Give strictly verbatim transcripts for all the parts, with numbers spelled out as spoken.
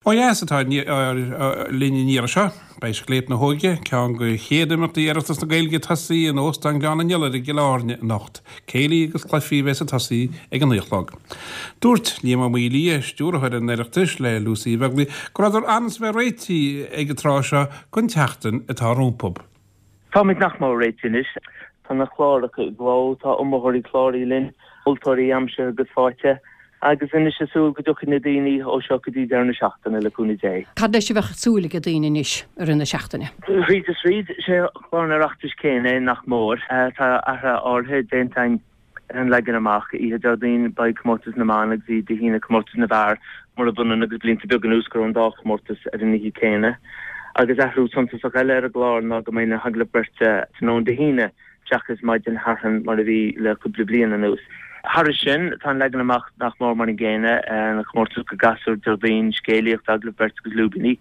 Ó dheas atá linn an iarraidh seo, beidh Scléip na hÓige, ceann de chéad imeachtaí Oireachtas na Gaeilge ag tosaí in Óstán Ghleann an Iolair i gCill Airne anocht. Céilí agus cluichí a bheas ag tosaí ag a naoi a chlog. Dúirt Liam Ó Maolaodha, stiúrthóir an Oireachtais le Lucy Uí Bheaglaoich, go rabhadar in ainm is a bheith réitithe ag an tráth seo don tseachtain atá rompu. Táimid nach mór réitithe anois. Tá na cláracha i gcló, tá iomaitheoirí cláraithe linn, moltóirí aimsithe agus faighte. Agus anois ag súil go dtiocfaidh na daoine ó seo go dtí deireadh na seachtaine, le cúnamh Dé. Cad leis a bheadh súil ag daoine anois i rith na seachtaine? Thríd is thríd, sé clár an Oireachtais céanna é nach mór. Tá athruithe áirithe déanta againn ar an leagan amach. Oíche Déardaoin beidh Comórtas na mBan agus oíche Dé hAoine Comórtas na bhFear, murab ionann agus blianta beaga anuas go raibh an dá chomórtas ar an oíche céanna. Agus athrú suntasach eile ar an gclár ná go mbeidh na hagallaimh beirte tráthnóna Dé hAoine seachas maidin Shathairn mar a bhí le cúpla bliain anuas. Thairis sin, tá an leagan amach nach mór mar an gcéanna, na comórtais do ghasúir Déardaoin, scéalaíocht, agallamh beirte agus lúibíní,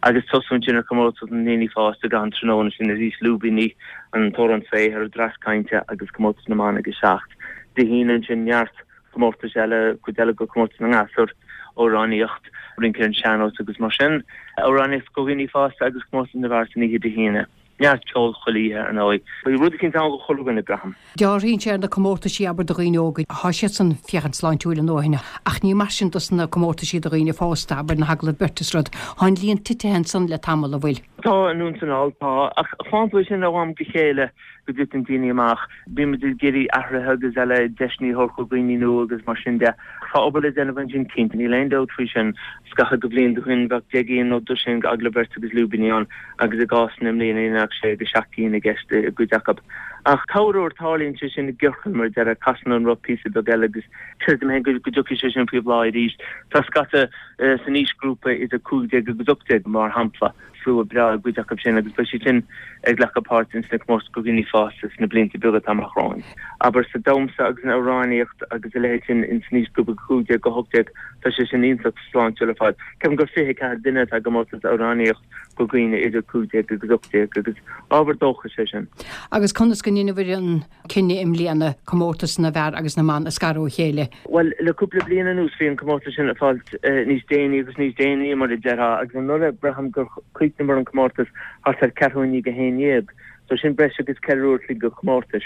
agus tosú ansin ar chomórtas na ndaoine fásta ag an tráthnóna sin arís, lúibíní, an t-amhrán saothair, an dreas cainte agus comórtas na mban ag a seacht. Dé hAoine ansin neart comórtais eile, cuid eile de chomórtas na ngasúr, amhránaíocht, rince ar an sean-nós agus mar sin, amhránaíocht do dhaoine fásta agus comórtas na bhfear san oíche Dé hAoine. Neart ceoil chuile oíche, ar ndóigh. Beidh rud eicínt ann do chuile dhuine, braithim. Dealraíonn sé ar na comórtaisí, abair, do dhaoine óga, thá siadsan féachaint sláintiúil a ndóthain, ach ní mar sin dos na comórtaisí do dhaoine fásta, abair, na hagallaimh beirte is rud. Thá an líon titithe ansan le tamall, an bhfuil? Tá, anonn 's anall, tá. Ach fághann tú é sin ó am go chéile go dtiteann daoine amach. Bíonn muid ag iarraidh athruithe agus eile, deiseanna a thabhairt do dhaoine nua agus mar sin de. Tá obair le déanamh ansin cinnte, níl aon dabht faoi sin. Scaitheamh de bhlianta ó shin bheadh deich gcinn nó dosaen d'agallaimh bheirte agus lúibíní ann agus i gcásanna i mbliana ní bheadh sé go seacht gcinn i gceist i gcuid acu. Ach corruair tarlaíonn sé sin i gciorcal mar a déarfá, casann an roth píosa beag eile agus creidim féin go dtiocfaidh sé sin faoi bhláth arís. Tá scata san aoisghrúpa idir cúig déag agus ocht déag mar shampla. slua breá i gcuid acu sin agus beidh siad sin ag glacadh páirt ins na comórtais do dhaoine fásta sna blianta beaga atá amach romhainn. Abair sa damhsa agus san amhránaíocht agus a leithéid sin ins an aoisghrúpa cúig déag go hocht déag tá sé sin iontach sláintiúil ar fad. Ceapaim gur fiche ceathair duine atá i gcomórtas amhránaíocht do dhaoine idir cúig déag agus ocht déag agus ábhar dóchais é sin. Agus conas go ndeineabhair an cinneadh i mbliana comórtas na bhfear agus na mban a scaradh ó chéile? Bhuel, le cúpla bliain anuas bhí an comórtas sin ag fáilt níos déanaí agus níos déanaí, mar a déarfá, agus anuraidh braithim gur chríochnaíomar an comórtas thart ar ceathrú i ndiaidh a haon dhéag, so sin breis agus ceithre uair a chloig de chomórtais.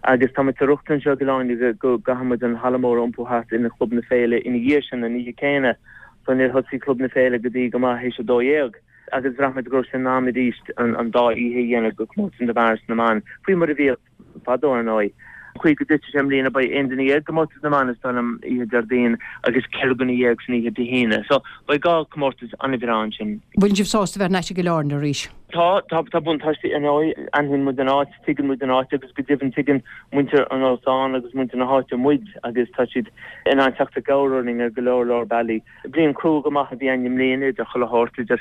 Agus tá muid sa riocht anseo i gCill Airne go gcaithfidh muid an halla mór a iompú thart ina Chlub na Féile ina dhiaidh sin, an oíche céanna, so níor thosaigh Club na Féile go dtí go maith théis a dó dhéag. Agus bhraith muid go raibh sé in am arís an dá oíche a dhéanamh de chomórtas na bhfear is na mban, faoi mar a bhíodh fadó ar ndóigh. An chaoi go dtitfidh sé i mbliana beidh aon duine dhéag i gcomórtas na mban is dóigh liom oíche Déardaoin agus ceithre dhuine dhéag san oíche Dé hAoine. So beidh dhá chomórtas an-bhreá ansin. Bhfuil sibh sásta bheith thar n-ais i gCill Airne arís? Tá, tá, tá buntáistí ar ndóigh. Aithníonn muid an áit, tuigeann muid an áit agus go deimhin tuigeann muintir an óstáin agus muintir na háite muid agus tá siad in ann teacht i gcabhair orainn ar go leor leor bealaí. Bliain crua go maith a bhí ann i mbliana idir chuile shórt, idir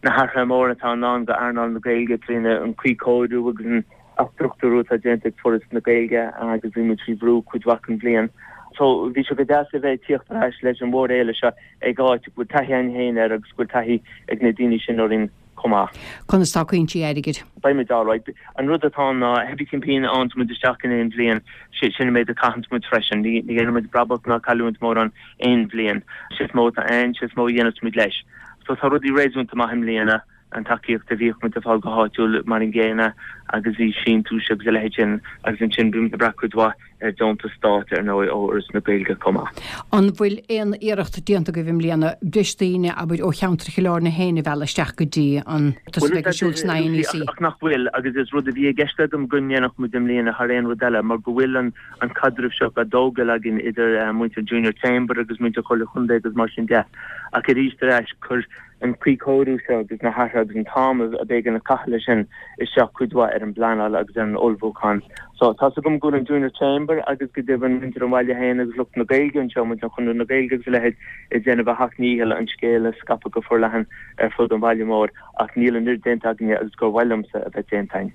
na hathruithe móra atá i ndán do earnáil na Gaeilge trína an cuíchóiriú agus an athstruchtúrú atá déanta ag Foras na Gaeilge agus bhí muid faoi bhrú cuid mhaith den bhliain. So bhí sé go deas a bheith ag tíocht ar ais leis an mhórfhéile seo ag áit go bhfuil taithí againn féin air agus go bhfuil taithí ag na daoine sin orainn chomh maith. Conas tá cúinsí airgid? Beidh muid alright. An rud atá ann ná, cibé cén phingin a fhaigheanns muid isteach in aon bhliain, sin an méid a chaitheanns muid freisin. Ní dhéanann muid brabach ná cailliúint mórán aon bhliain. Sé is mó atá ann, sé is mó a dhéanfas muid leis. So tá rudaí réasúnta maith i mbliana, an tacaíocht a bhíodh muid ag fáil go háitiúil mar an gcéanna agus bhí síntiúis agus a leithéid sin agus ansin bíonn muid ag brath cuid mhaith ar deontas stáit ar ndóigh ó Fhoras na Gaeilge chomh maith. An bhfuil aon iarracht déanta agaibh i mbliana breis daoine, abair, ó cheantar Chill Airne féin a mhealladh isteach go dtí an comórtas a bheidh ar siúl san INEC? Ach nach bhfuil, agus is rud a bhí i gceist agam go ndéanfadh muid i mbliana thar aon rud eile mar go bhfuil an an caidreamh seo á dtógáil againn idir muintir Junior Chamber agus muintir Chomhairle Chontae agus mar sin de. Ach arís ar ais, chuir an cuíchóiriú seo agus na hathruithe agus an t-am a b'éigean a chaitheamh leis sin isteach cuid mhaith ar an bpleanáil agus ar an ullmhúchán. So, tá's agam go bhfuil an Junior Chamber agus go deimhin muintir an bhaile féin agus lucht na Gaeilge anseo, muintir Chonradh na Gaeilge agus a leithéid, ag déanamh a sheacht ndícheall an scéal a scaipeadh go forleathan ar fud an bhaile mhóir ach níl an oiread déanta againne agus gur mhaith liomsa a bheith déanta againn.